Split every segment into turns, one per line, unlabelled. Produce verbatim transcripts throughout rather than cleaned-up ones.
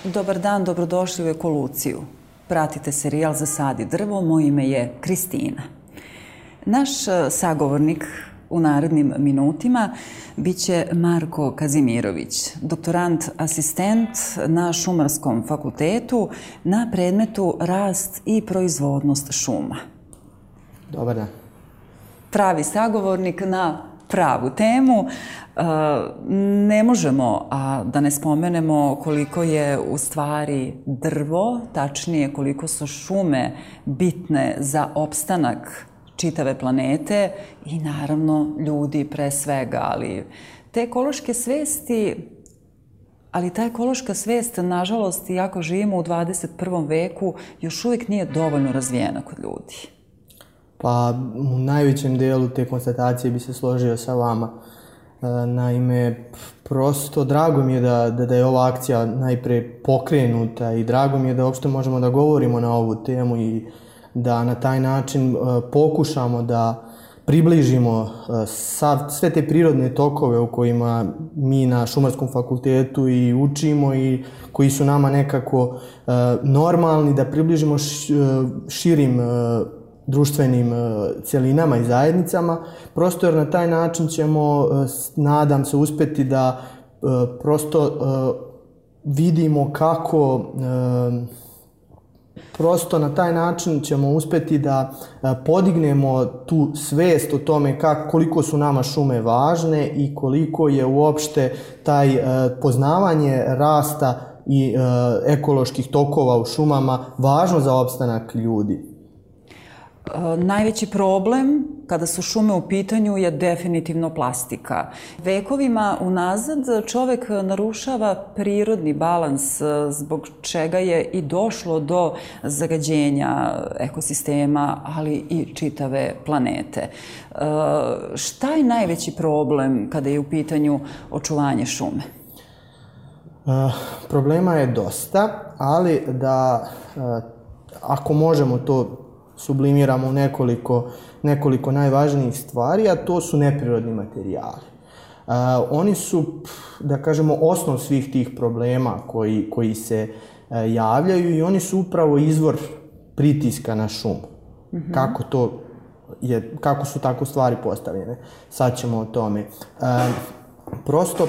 Dobar dan, dobrodošli u Ekoluciju. Pratite serijal Zasadi drvo, moje ime je Kristina. Naš sagovornik u narednim minutima biće Marko Kazimirović, doktorant asistent na Šumarskom fakultetu na predmetu rast i proizvodnost šuma.
Dobar dan.
Pravi sagovornik na pravu temu. Ne možemo a da ne spomenemo koliko je u stvari drvo, tačnije koliko su šume bitne za opstanak čitave planete i naravno ljudi pre svega, ali te ekološke svesti, ali ta ekološka svest, nažalost, iako živimo u dvadeset prvom veku, još uvijek nije dovoljno razvijena kod ljudi.
Pa u najvećem delu te konstatacije bi se složio sa vama. Naime, prosto drago mi je da, da, da je ova akcija najpre pokrenuta i drago mi je da uopšte možemo da govorimo na ovu temu i da na taj način pokušamo da približimo sav, sve te prirodne tokove u kojima mi na Šumarskom fakultetu i učimo i koji su nama nekako normalni, da približimo širim društvenim cjelinama i zajednicama, prosto jer na taj način ćemo, nadam se, uspjeti da prosto vidimo kako, prosto na taj način ćemo uspjeti da podignemo tu svijest o tome kako, koliko su nama šume važne i koliko je uopšte taj poznavanje rasta i ekoloških tokova u šumama važno za opstanak ljudi.
Najveći problem kada su šume u pitanju je definitivno plastika. Vekovima unazad čovek narušava prirodni balans zbog čega je i došlo do zagađenja ekosistema, ali i čitave planete. Šta je najveći problem kada je u pitanju očuvanje šume?
Problema je dosta, ali da ako možemo to sublimiramo u nekoliko, nekoliko najvažnijih stvari, a to su neprirodni materijali. Uh, oni su, da kažemo, osnov svih tih problema koji, koji se uh, javljaju i oni su upravo izvor pritiska na šumu. Mm-hmm. Kako to je, kako su tako stvari postavljene. Sad ćemo o tome. Uh, prosto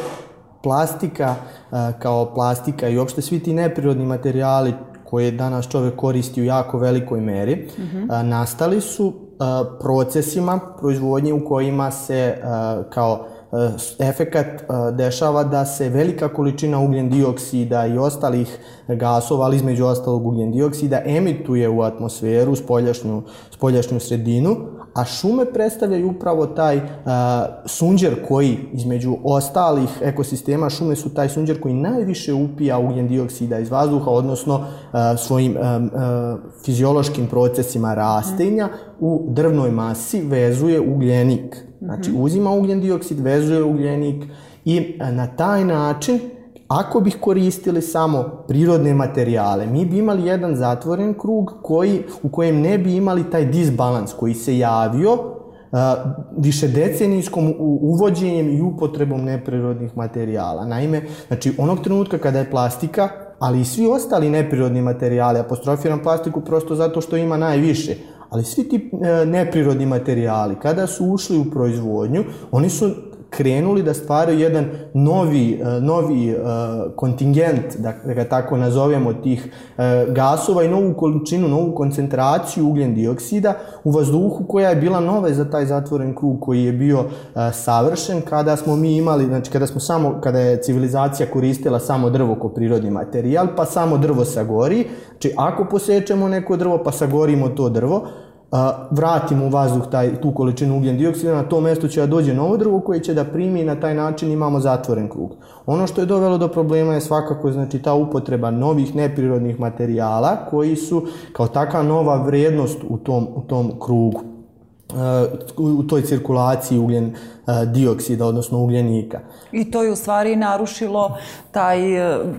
plastika uh, kao plastika i uopšte svi ti neprirodni materijali koje danas čovjek koristi u jako velikoj meri, mm-hmm. nastali su procesima proizvodnje u kojima se kao efekat dešava da se velika količina ugljen dioksida i ostalih gasova, ali između ostalog ugljen dioksida, emituje u atmosferu, spoljašnju, spoljašnju sredinu, a šume predstavljaju upravo taj uh, sunđer koji, između ostalih ekosistema, šume su taj sunđer koji najviše upija ugljen dioksida iz vazduha, odnosno uh, svojim um, uh, fiziološkim procesima rastenja mm. u drvnoj masi vezuje ugljenik. Znači, uzima ugljen dioksid, vezuje ugljenik i uh, na taj način, ako bih koristili samo prirodne materijale, mi bi imali jedan zatvoren krug koji, u kojem ne bi imali taj disbalans koji se javio uh, višedecenijskom uvođenjem i upotrebom neprirodnih materijala. Naime, znači, onog trenutka kada je plastika, ali i svi ostali neprirodni materijali, apostrofiram plastiku prosto zato što ima najviše, ali svi ti uh, neprirodni materijali, kada su ušli u proizvodnju, oni su krenuli da stvaraju jedan novi, novi uh, kontingent, da, da ga tako nazovemo, tih uh, gasova i novu količinu, novu koncentraciju ugljen dioksida u vazduhu koja je bila nova za taj zatvoren krug koji je bio uh, savršen kada smo mi imali, znači kada smo samo, kada je civilizacija koristila samo drvo kao prirodni materijal, pa samo drvo sagori. Znači ako posečemo neko drvo pa sagorimo to drvo, Uh, vratimo u vazduh taj, tu količinu ugljen dioksida, na to mjesto će da dođe novo drvo koje će da primi i na taj način imamo zatvoren krug. Ono što je dovelo do problema je svakako, znači, ta upotreba novih neprirodnih materijala koji su kao takva nova vrijednost u tom, u tom krugu, uh, u toj cirkulaciji ugljen uh, dioksida, odnosno ugljenika.
I to je u stvari narušilo taj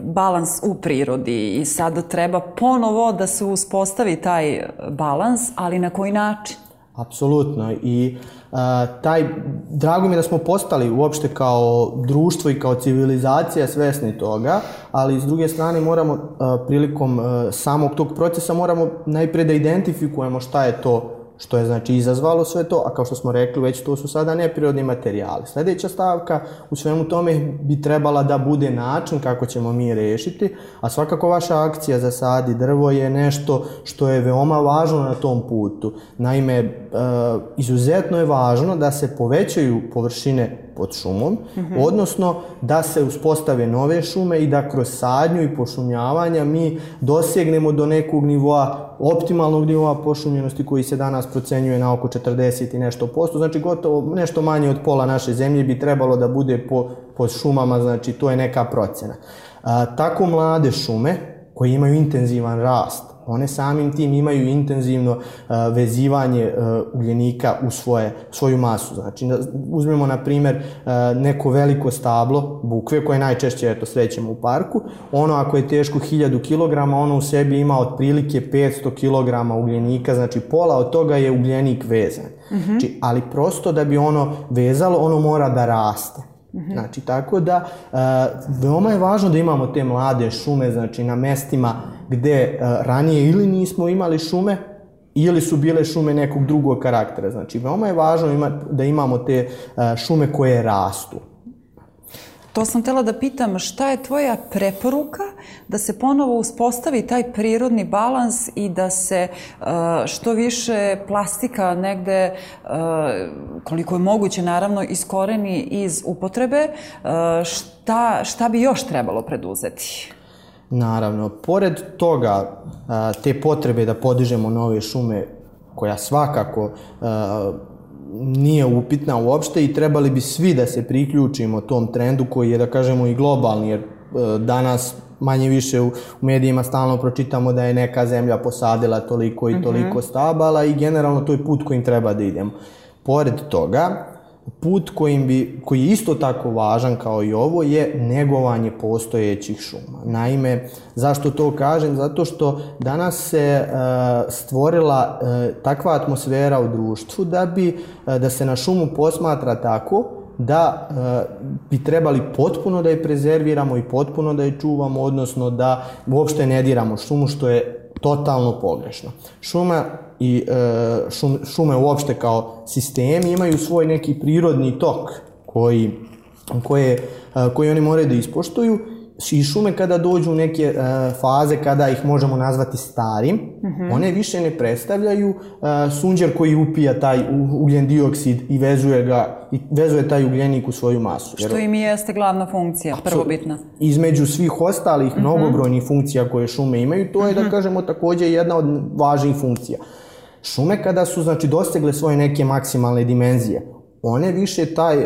balans u prirodi i sad treba ponovo da se uspostavi taj balans, ali na koji način?
Apsolutno. I uh, taj, drago mi je da smo postali uopšte kao društvo i kao civilizacija svesni toga, ali s druge strane moramo uh, prilikom uh, samog tog procesa moramo najprije da identifikujemo šta je to što je znači izazvalo sve to, a kao što smo rekli već to su sada neprirodni materijali. Sljedeća stavka u svemu tome bi trebala da bude način kako ćemo mi rešiti, a svakako vaša akcija za Sadi drvo je nešto što je veoma važno na tom putu. Naime, e, izuzetno je važno da se povećaju površine pod šumom, mm-hmm. odnosno da se uspostave nove šume i da kroz sadnju i pošumljavanja mi dosegnemo do nekog nivoa, optimalnog nivoa pošumljenosti koji se danas procenjuje na oko četrdeset i nešto posto, znači gotovo nešto manje od pola naše zemlje bi trebalo da bude po, pod šumama, znači to je neka procena. A, tako mlade šume koje imaju intenzivan rast, one samim tim imaju intenzivno uh, vezivanje uh, ugljenika u svoje, svoju masu. Znači, uzmemo na primjer uh, neko veliko stablo bukve koje najčešće eto, srećemo u parku. Ono ako je teško hiljadu kilograma, ono u sebi ima otprilike petsto kilograma ugljenika, znači pola od toga je ugljenik vezan. Mm-hmm. Znači, ali prosto da bi ono vezalo, ono mora da raste. Mm-hmm. Znači, tako da uh, veoma je važno da imamo te mlade šume, znači na mestima gde uh, ranije ili nismo imali šume ili su bile šume nekog drugog karaktera. Znači, veoma je važno ima, da imamo te uh, šume koje rastu.
To sam htjela da pitam, šta je tvoja preporuka da se ponovo uspostavi taj prirodni balans i da se uh, što više plastika negde, uh, koliko je moguće naravno, iskoreni iz upotrebe, uh, šta, šta bi još trebalo preduzeti?
Naravno, pored toga, uh, te potrebe da podižemo nove šume, koja svakako uh, nije upitna uopšte i trebali bi svi da se priključimo tom trendu koji je, da kažemo, i globalni, jer danas manje više u medijima stalno pročitamo da je neka zemlja posadila toliko i toliko mm-hmm. stabala i generalno to je put kojim treba da idemo. Pored toga, put kojim bi, koji je isto tako važan kao i ovo je negovanje postojećih šuma. Naime, zašto to kažem? Zato što danas se uh, stvorila uh, takva atmosfera u društvu da bi uh, da se na šumu posmatra tako da uh, bi trebali potpuno da je prezerviramo i potpuno da je čuvamo, odnosno da uopšte ne diramo šumu, što je totalno pogrešno. Šuma i e, šum, šume uopšte kao sistemi imaju svoj neki prirodni tok koji, koje, koji oni moraju da ispoštuju i šume kada dođu u neke e, faze kada ih možemo nazvati starim, mm-hmm. one više ne predstavljaju e, sunđer koji upija taj ugljen dioksid i vezuje ga i vezuje taj ugljenik u svoju masu.
Što im jeste glavna funkcija, prvobitna.
Između svih ostalih mm-hmm. mnogobrojnih funkcija koje šume imaju, to je mm-hmm. da kažemo također jedna od važnijih funkcija. Šume kada su znači dosegle svoje neke maksimalne dimenzije, one više taj,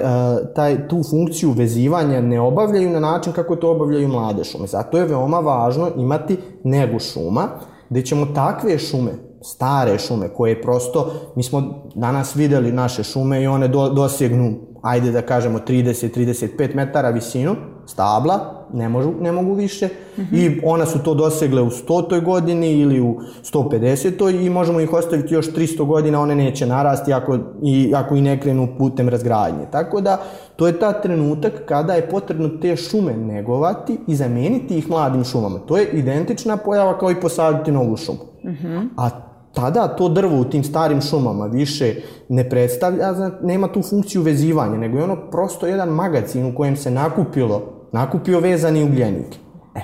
taj, tu funkciju vezivanja ne obavljaju na način kako to obavljaju mlade šume. Zato je veoma važno imati negu šuma, gdje ćemo takve šume, stare šume, koje prosto, mi smo danas vidjeli naše šume i one do, dosegnu, ajde da kažemo, trideset do trideset pet metara visinu, stabla, ne, možu, ne mogu više, mm-hmm. i ona su to dosegle u stotoj godini ili u sto pedesetoj i možemo ih ostaviti još tristo godina, one neće narasti ako i, ako i ne krenu putem razgradnje. Tako da, to je ta trenutak kada je potrebno te šume negovati i zameniti ih mladim šumama. To je identična pojava kao i posaditi novu šumu. Mm-hmm. A tada to drvo u tim starim šumama više ne predstavlja, nema tu funkciju vezivanja, nego je ono prosto jedan magacin u kojem se nakupilo, nakupio vezani ugljenik. E,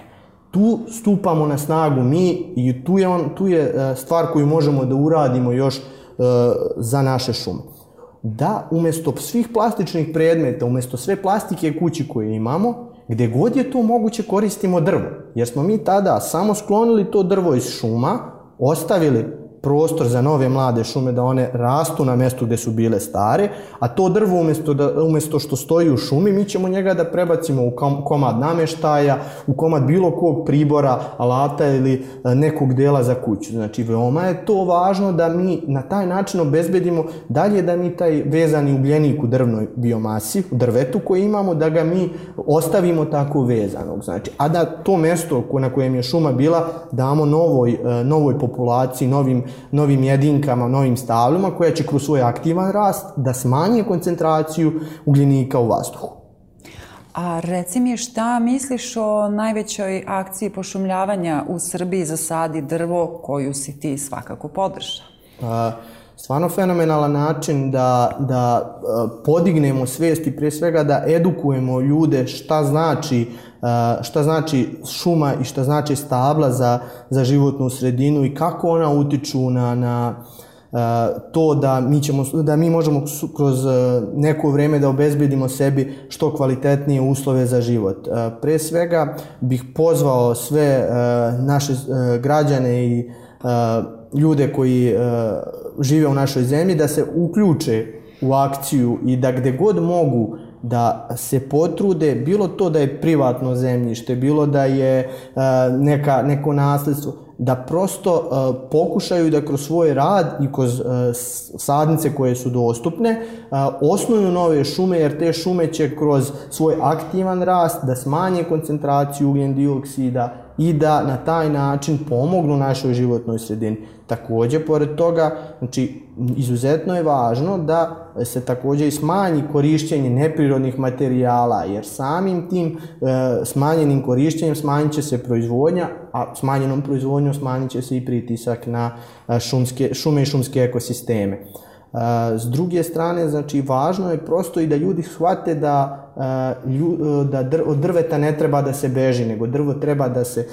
tu stupamo na snagu mi i tu je, on, tu je stvar koju možemo da uradimo još uh, za naše šume. Da umjesto svih plastičnih predmeta, umjesto sve plastike kući koje imamo, gdje god je to moguće koristimo drvo. Jer smo mi tada samo sklonili to drvo iz šuma, ostavili prostor za nove mlade šume da one rastu na mjestu gdje su bile stare, a to drvo umjesto, da, umjesto što stoji u šumi, mi ćemo njega da prebacimo u komad namještaja, u komad bilo kog pribora, alata ili nekog dela za kuću. Znači, veoma je to važno da mi na taj način obezbedimo dalje da mi taj vezani ugljenik u drvnoj biomasi, u drvetu koji imamo, da ga mi ostavimo tako vezanog. Znači, a da to mjesto na kojem je šuma bila damo novoj, novoj populaciji, novim novim jedinkama, novim stablima koja će kroz svoj aktivan rast da smanje koncentraciju ugljenika u vazduhu.
A reci mi šta misliš o najvećoj akciji pošumljavanja u Srbiji Zasadi drvo koju si ti svakako podržao?
Stvarno fenomenalan način da, da podignemo svijest i prije svega da edukujemo ljude šta znači, šta znači šuma i šta znači stabla za, za životnu sredinu i kako ona utiču na, na to da mi, ćemo, da mi možemo kroz neko vrijeme da obezbedimo sebi što kvalitetnije uslove za život. Pre svega bih pozvao sve naše građane i ljude koji žive u našoj zemlji da se uključe u akciju i da gde god mogu da se potrude, bilo to da je privatno zemljište, bilo da je neka, neko nasljedstvo, da prosto uh, pokušaju da kroz svoj rad i kroz uh, sadnice koje su dostupne uh, osnuju nove šume, jer te šume će kroz svoj aktivan rast da smanje koncentraciju ugljen dioksida i da na taj način pomognu našoj životnoj sredini. Također, pored toga, znači, izuzetno je važno da se također i smanji korištenje neprirodnih materijala, jer samim tim e, smanjenim korištenjem smanjit će se proizvodnja, a smanjenom proizvodnjom smanjit će se i pritisak na šumske, šume i šumske ekosisteme. E, s druge strane, znači, važno je prosto i da ljudi shvate da da od drveta ne treba da se beži, nego drvo treba da se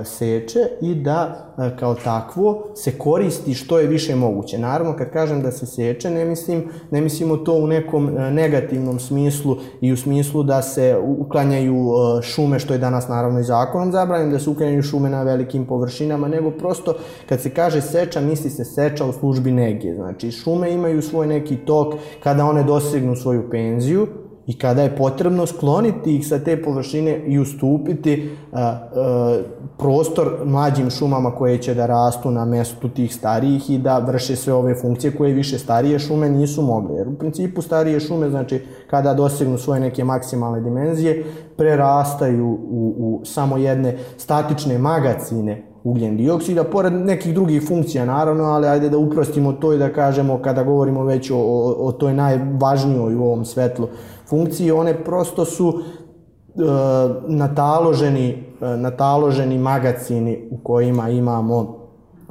seče i da kao takvo se koristi što je više moguće. Naravno, kad kažem da se seče, ne mislim, ne mislimo to u nekom negativnom smislu i u smislu da se uklanjaju šume, što je danas naravno i zakonom zabranjeno, da se uklanjaju šume na velikim površinama, nego prosto kad se kaže seča, misli se seča u službi nege. Znači, šume imaju svoj neki tok kada one dosegnu svoju penziju i kada je potrebno skloniti ih sa te površine i ustupiti a, a, prostor mlađim šumama koje će da rastu na mjestu tih starijih i da vrše sve ove funkcije koje više starije šume nisu mogle. Jer u principu starije šume, znači, kada dosegnu svoje neke maksimalne dimenzije, prerastaju u, u samo jedne statične magacine ugljen dioksida, pored nekih drugih funkcija naravno, ali ajde da uprostimo to i da kažemo, kada govorimo već o, o, o toj najvažnijoj u ovom svetlu funkciji, one prosto su e, nataloženi, e, nataloženi magacini u kojima imamo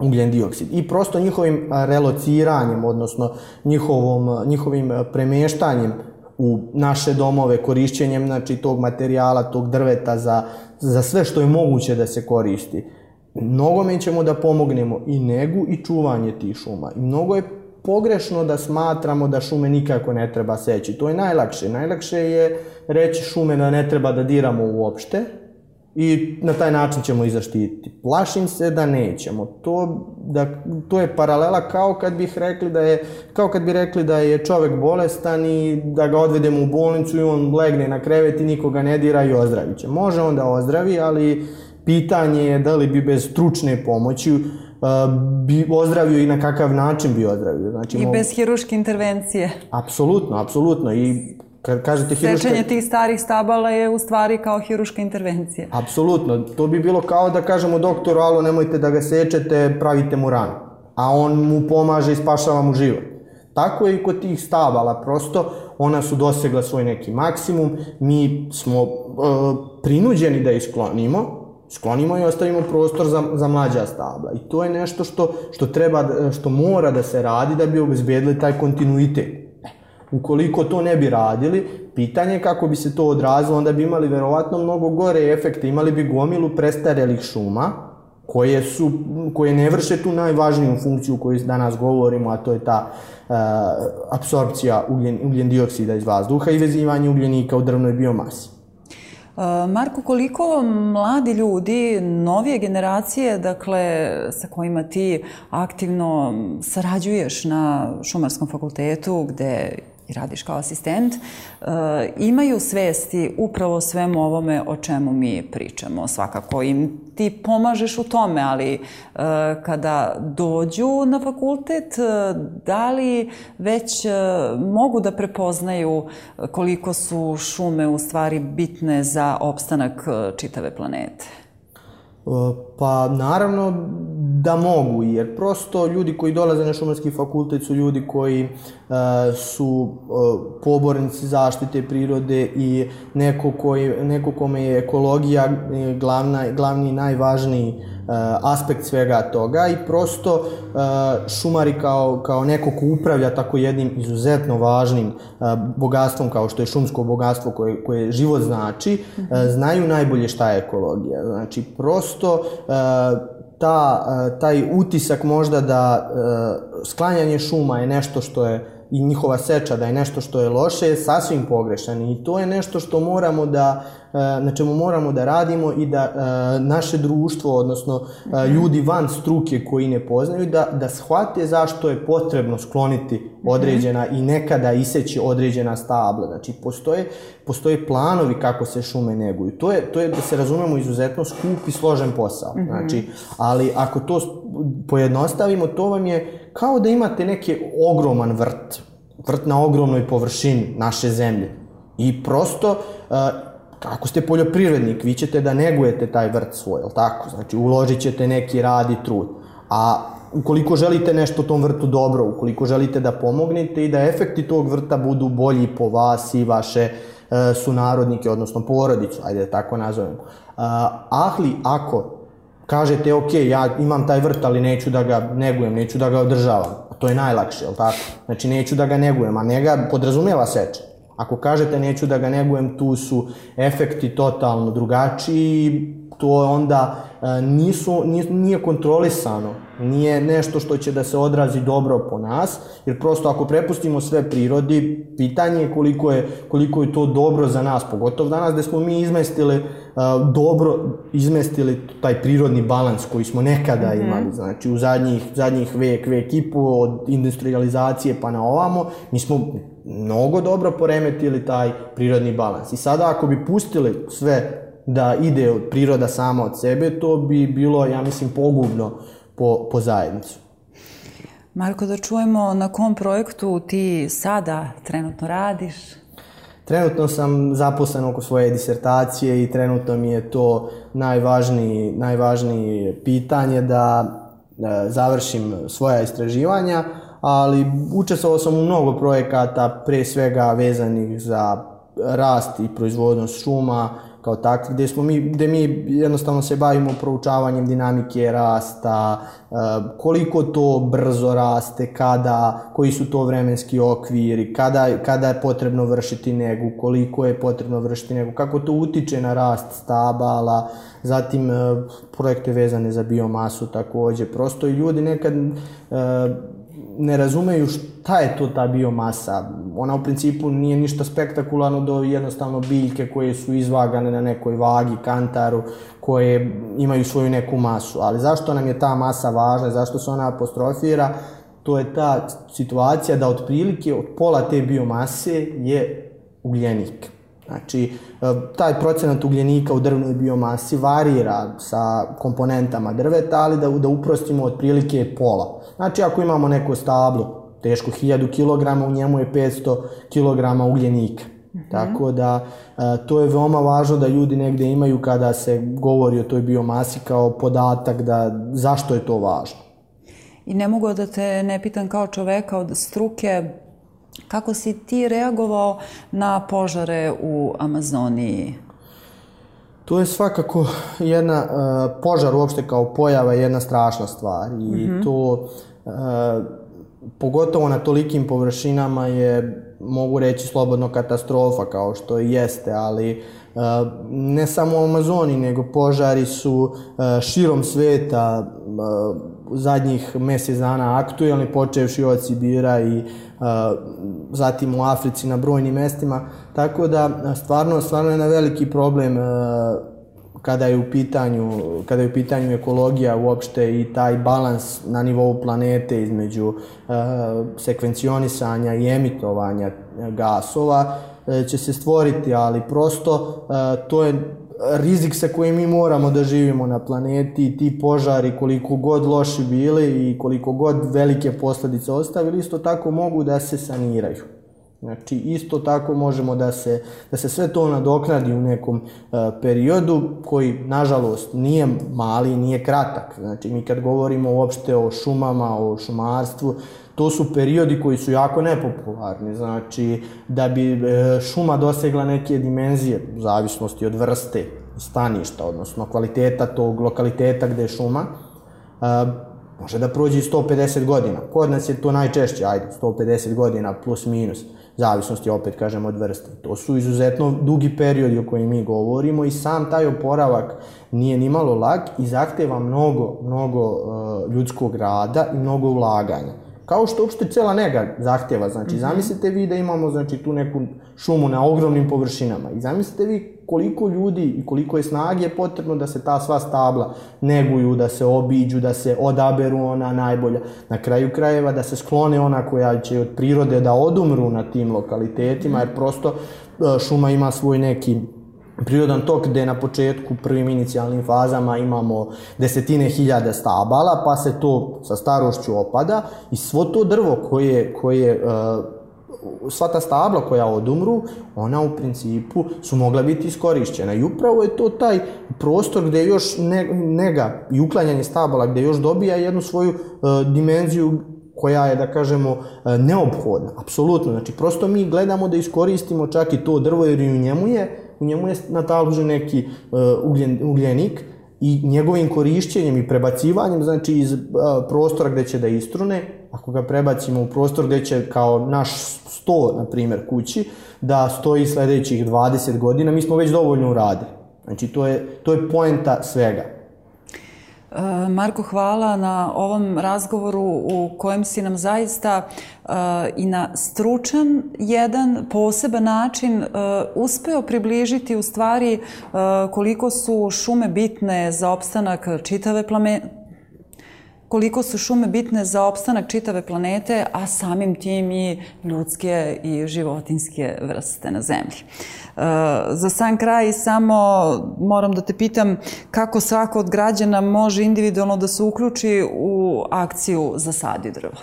ugljen dioksid. I prosto njihovim relociranjem, odnosno njihovom, njihovim premještanjem u naše domove, korišćenjem, znači, tog materijala, tog drveta za, za sve što je moguće da se koristi, mnogome ćemo da pomognemo i negu i čuvanje tih šuma. I mnogo je pogrešno da smatramo da šume nikako ne treba seći. To je najlakše. Najlakše je reći šume da ne treba da diramo uopšte i na taj način ćemo ih zaštititi. Plašim se da nećemo. To, da, to je paralela kao kad bih rekli da je, kao kad bi rekli da je čovjek bolestan i da ga odvedemo u bolnicu i on legne na krevet i nikoga ne dira i ozdravit će. Može on da ozdravi, ali pitanje je da li bi bez stručne pomoći uh, bi ozdravio i na kakav način bi ozdravio. Znači,
I bez hiruške intervencije.
Apsolutno, apsolutno. I kad kažete hiruška...
Sečenje tih starih stabala je u stvari kao hiruška intervencija.
Apsolutno. To bi bilo kao da kažemo doktoru, alo, nemojte da ga sečete, pravite mu ranu. A on mu pomaže i spašava mu život. Tako je i kod tih stabala. Prosto ona su dosegla svoj neki maksimum. Mi smo uh, prinuđeni da ih sklonimo. Sklonimo i ostavimo prostor za, za mlađa stabla. I to je nešto što, što, treba, što mora da se radi da bi obezbedili taj kontinuitet. Ukoliko to ne bi radili, pitanje je kako bi se to odrazilo, onda bi imali verovatno mnogo gore efekte. Imali bi gomilu prestarelih šuma koje, su, koje ne vrše tu najvažniju funkciju koju danas govorimo, a to je ta uh, apsorpcija ugljen, ugljen dioksida iz vazduha i vezivanje ugljenika u drvnoj biomasi.
Marko, koliko mladi ljudi, novije generacije, dakle, sa kojima ti aktivno sarađuješ na Šumarskom fakultetu, gde i radiš kao asistent, imaju svesti upravo svemu ovome o čemu mi pričamo. Svakako im ti pomažeš u tome, ali kada dođu na fakultet, da li već mogu da prepoznaju koliko su šume u stvari bitne za opstanak čitave planete?
Pa naravno da mogu, jer prosto ljudi koji dolaze na Šumarski fakultet su ljudi koji e, su e, pobornici zaštite prirode i neko, koji, neko kome je ekologija glavna, glavni i najvažniji e, aspekt svega toga i prosto e, šumari kao, kao neko ko upravlja tako jednim izuzetno važnim e, bogatstvom kao što je šumsko bogatstvo koje, koje život znači, e, znaju najbolje šta je ekologija. Znači prosto e, Ta, taj utisak možda da sklanjanje šuma je nešto što je i njihova seča da je nešto što je loše je sasvim pogrešan i to je nešto što moramo da, na čemu moramo da radimo i da naše društvo, odnosno ljudi van struke koji ne poznaju, da, da shvate zašto je potrebno skloniti određena i nekada iseći određena stabla. Znači, postoje, postoje planovi kako se šume neguju. To je, to je, da se razumemo, izuzetno skup i složen posao. Znači, ali ako to pojednostavimo, to vam je kao da imate neki ogroman vrt, vrt na ogromnoj površini naše zemlje. I prosto, ako ste poljoprivrednik, vi ćete da negujete taj vrt svoj, jel tako? Znači, uložit ćete neki rad i trud. A ukoliko želite nešto tom vrtu dobro, ukoliko želite da pomognete i da efekti tog vrta budu bolji po vas i vaše sunarodnike, odnosno porodicu, ajde da tako nazovemo. Ali ako kažete, ok, ja imam taj vrt, ali neću da ga negujem, neću da ga održavam. To je najlakše, jel tako? Znači, neću da ga negujem, a ne ga podrazumijeva seče. Ako kažete neću da ga negujem, tu su efekti totalno drugačiji, to onda nisu, nije kontrolisano, nije nešto što će da se odrazi dobro po nas, jer prosto ako prepustimo sve prirodi, pitanje je koliko je, koliko je to dobro za nas, pogotovo danas gde smo mi izmestili, dobro izmestili taj prirodni balans koji smo nekada imali, znači u zadnjih, zadnjih vek, vek i po, od industrializacije pa na ovamo, mi smo mnogo dobro poremetili taj prirodni balans. I sada ako bi pustili sve da ide od priroda sama od sebe, to bi bilo, ja mislim, pogubno po, po zajednicu.
Marko, da čujemo na kom projektu ti sada trenutno radiš?
Trenutno sam zaposlen oko svoje disertacije i trenutno mi je to najvažnije, najvažnije pitanje da, da završim svoja istraživanja, ali učestvovao sam u mnogo projekata, pre svega vezanih za rast i proizvodnost šuma, kao takvi, gde, smo mi, gde mi jednostavno se bavimo proučavanjem dinamike rasta, koliko to brzo raste, kada, koji su to vremenski okviri, kada, kada je potrebno vršiti negu, koliko je potrebno vršiti negu, kako to utiče na rast stabala, zatim projekte vezane za biomasu takođe. Prosto i ljudi nekad ne razumeju šta je to ta biomasa. Ona u principu nije ništa spektakularno do jednostavno biljke koje su izvagane na nekoj vagi, kantaru, koje imaju svoju neku masu. Ali zašto nam je ta masa važna, zašto se ona apostrofira, to je ta situacija da otprilike od pola te biomase je ugljenik. Znači, taj procenat ugljenika u drvnoj biomasi varira sa komponentama drveta, ali da, da uprostimo otprilike je pola. Znači, ako imamo neko stablo teško hiljadu kilograma, u njemu je petsto kilograma ugljenika. Mm-hmm. Tako da, to je veoma važno da ljudi negde imaju kada se govori o toj biomasi kao podatak da zašto je to važno.
I ne mogu da te ne pitam kao čoveka od struke, kako si ti reagovao na požare u Amazoniji?
To je svakako jedna, uh, požar uopšte kao pojava je jedna strašna stvar i mm-hmm. to uh, pogotovo na tolikim površinama je, mogu reći, slobodno katastrofa kao što i jeste, ali uh, ne samo u Amazoniji, nego požari su uh, širom sveta uh, zadnjih mjesec dana aktuelni, počevši od Sibira i uh, zatim u Africi na brojnim mestima, tako da stvarno, stvarno je na veliki problem uh, kada je u pitanju, kada je u pitanju ekologija uopšte i taj balans na nivou planete između uh, sekvencionisanja i emitovanja gasova uh, će se stvoriti, ali prosto uh, to je rizik sa kojim mi moramo da živimo na planeti i ti požari koliko god loši bili i koliko god velike posljedice ostavili, isto tako mogu da se saniraju. Znači, isto tako možemo da se, da se sve to nadoknadi u nekom uh, periodu koji, nažalost, nije mali, nije kratak. Znači, mi kad govorimo uopšte o šumama, o šumarstvu, to su periodi koji su jako nepopularni. Znači, da bi uh, šuma dosegla neke dimenzije, u zavisnosti od vrste staništa, odnosno kvaliteta tog lokaliteta gde je šuma, uh, može da prođe i sto pedeset godina. Kod nas je to najčešće, ajde, sto pedeset godina plus minus, zavisnosti, opet kažem, od vrste. To su izuzetno dugi periodi o kojim mi govorimo i sam taj oporavak nije ni malo lak i zahteva mnogo, mnogo uh, ljudskog rada i mnogo ulaganja. Kao što uopšte cela nega zahteva. Znači, zamislite vi da imamo, znači, tu neku šumu na ogromnim površinama i zamislite vi koliko ljudi i koliko je snage potrebno da se ta sva stabla neguju, da se obiđu, da se odaberu ona najbolja. Na kraju krajeva da se sklone ona koja će od prirode da odumru na tim lokalitetima, jer prosto šuma ima svoj neki prirodan tok gde na početku, prvim inicijalnim fazama imamo desetine hiljada stabala, pa se to sa starošću opada i svo to drvo koje, koje sva ta stabla koja odumru, ona u principu su mogla biti iskorišćena. I upravo je to taj prostor gde još nega i uklanjanje stabala, gde još dobija jednu svoju uh, dimenziju koja je, da kažemo, uh, neophodna. Apsolutno. Znači, prosto mi gledamo da iskoristimo čak i to drvo, jer i u njemu je, u njemu je nataložen neki uh, ugljen, ugljenik i njegovim korišćenjem i prebacivanjem, znači, iz uh, prostora gde će da istrune, ako ga prebacimo u prostor gde će kao naš sto, na primjer, kući, da stoji sledećih dvadeset godina, mi smo već dovoljno uradili. Znači, to je, to je poenta svega.
Marko, hvala na ovom razgovoru u kojem si nam zaista uh, i na stručan jedan poseban način uh, uspeo približiti u stvari uh, koliko su šume bitne za opstanak čitave planete, koliko su šume bitne za opstanak čitave planete, a samim tim i ljudske i životinjske vrste na zemlji. Uh, za sam kraj samo moram da te pitam kako svako od građana može individualno da se uključi u akciju Zasadi drvo.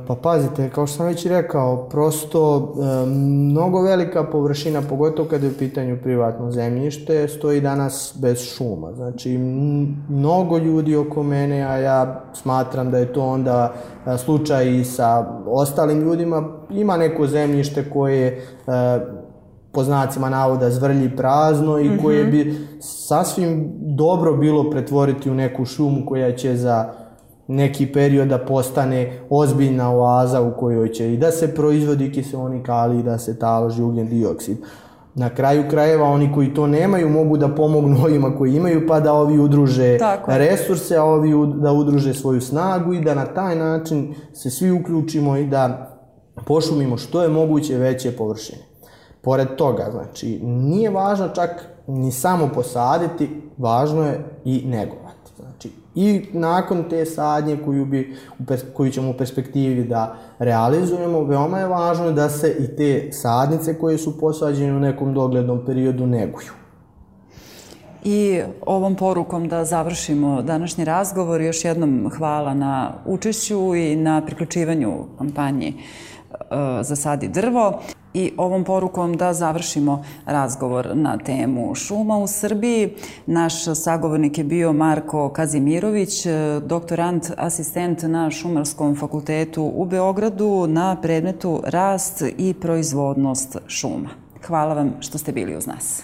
Pa pazite, kao što sam već rekao, prosto mnogo velika površina, pogotovo kada je u pitanju privatno zemljište, stoji danas bez šuma. Znači, mnogo ljudi oko mene, a ja smatram da je to onda slučaj i sa ostalim ljudima, ima neko zemljište koje po znacima navoda zvrlji prazno i koje bi sasvim dobro bilo pretvoriti u neku šumu koja će za neki period da postane ozbiljna oaza u kojoj će i da se proizvodi kiseonik, ali i da se taloži ugljen dioksid. Na kraju krajeva oni koji to nemaju mogu da pomognu ovima koji imaju, pa da ovi udruže resurse, a ovi da udruže svoju snagu i da na taj način se svi uključimo i da pošumimo što je moguće veće površine. Pored toga, znači, nije važno čak ni samo posaditi, važno je i negovati. Znači, i nakon te sadnje koju, bi, koju ćemo u perspektivi da realizujemo, veoma je važno da se i te sadnice koje su posađene u nekom doglednom periodu neguju.
I ovom porukom da završimo današnji razgovor. Još jednom hvala na učešću i na priključivanju kampanji Zasadi drvo. I ovom porukom da završimo razgovor na temu šuma u Srbiji. Naš sagovornik je bio Marko Kazimirović, doktorant, asistent na Šumarskom fakultetu u Beogradu na predmetu rast i proizvodnost šuma. Hvala vam što ste bili uz nas.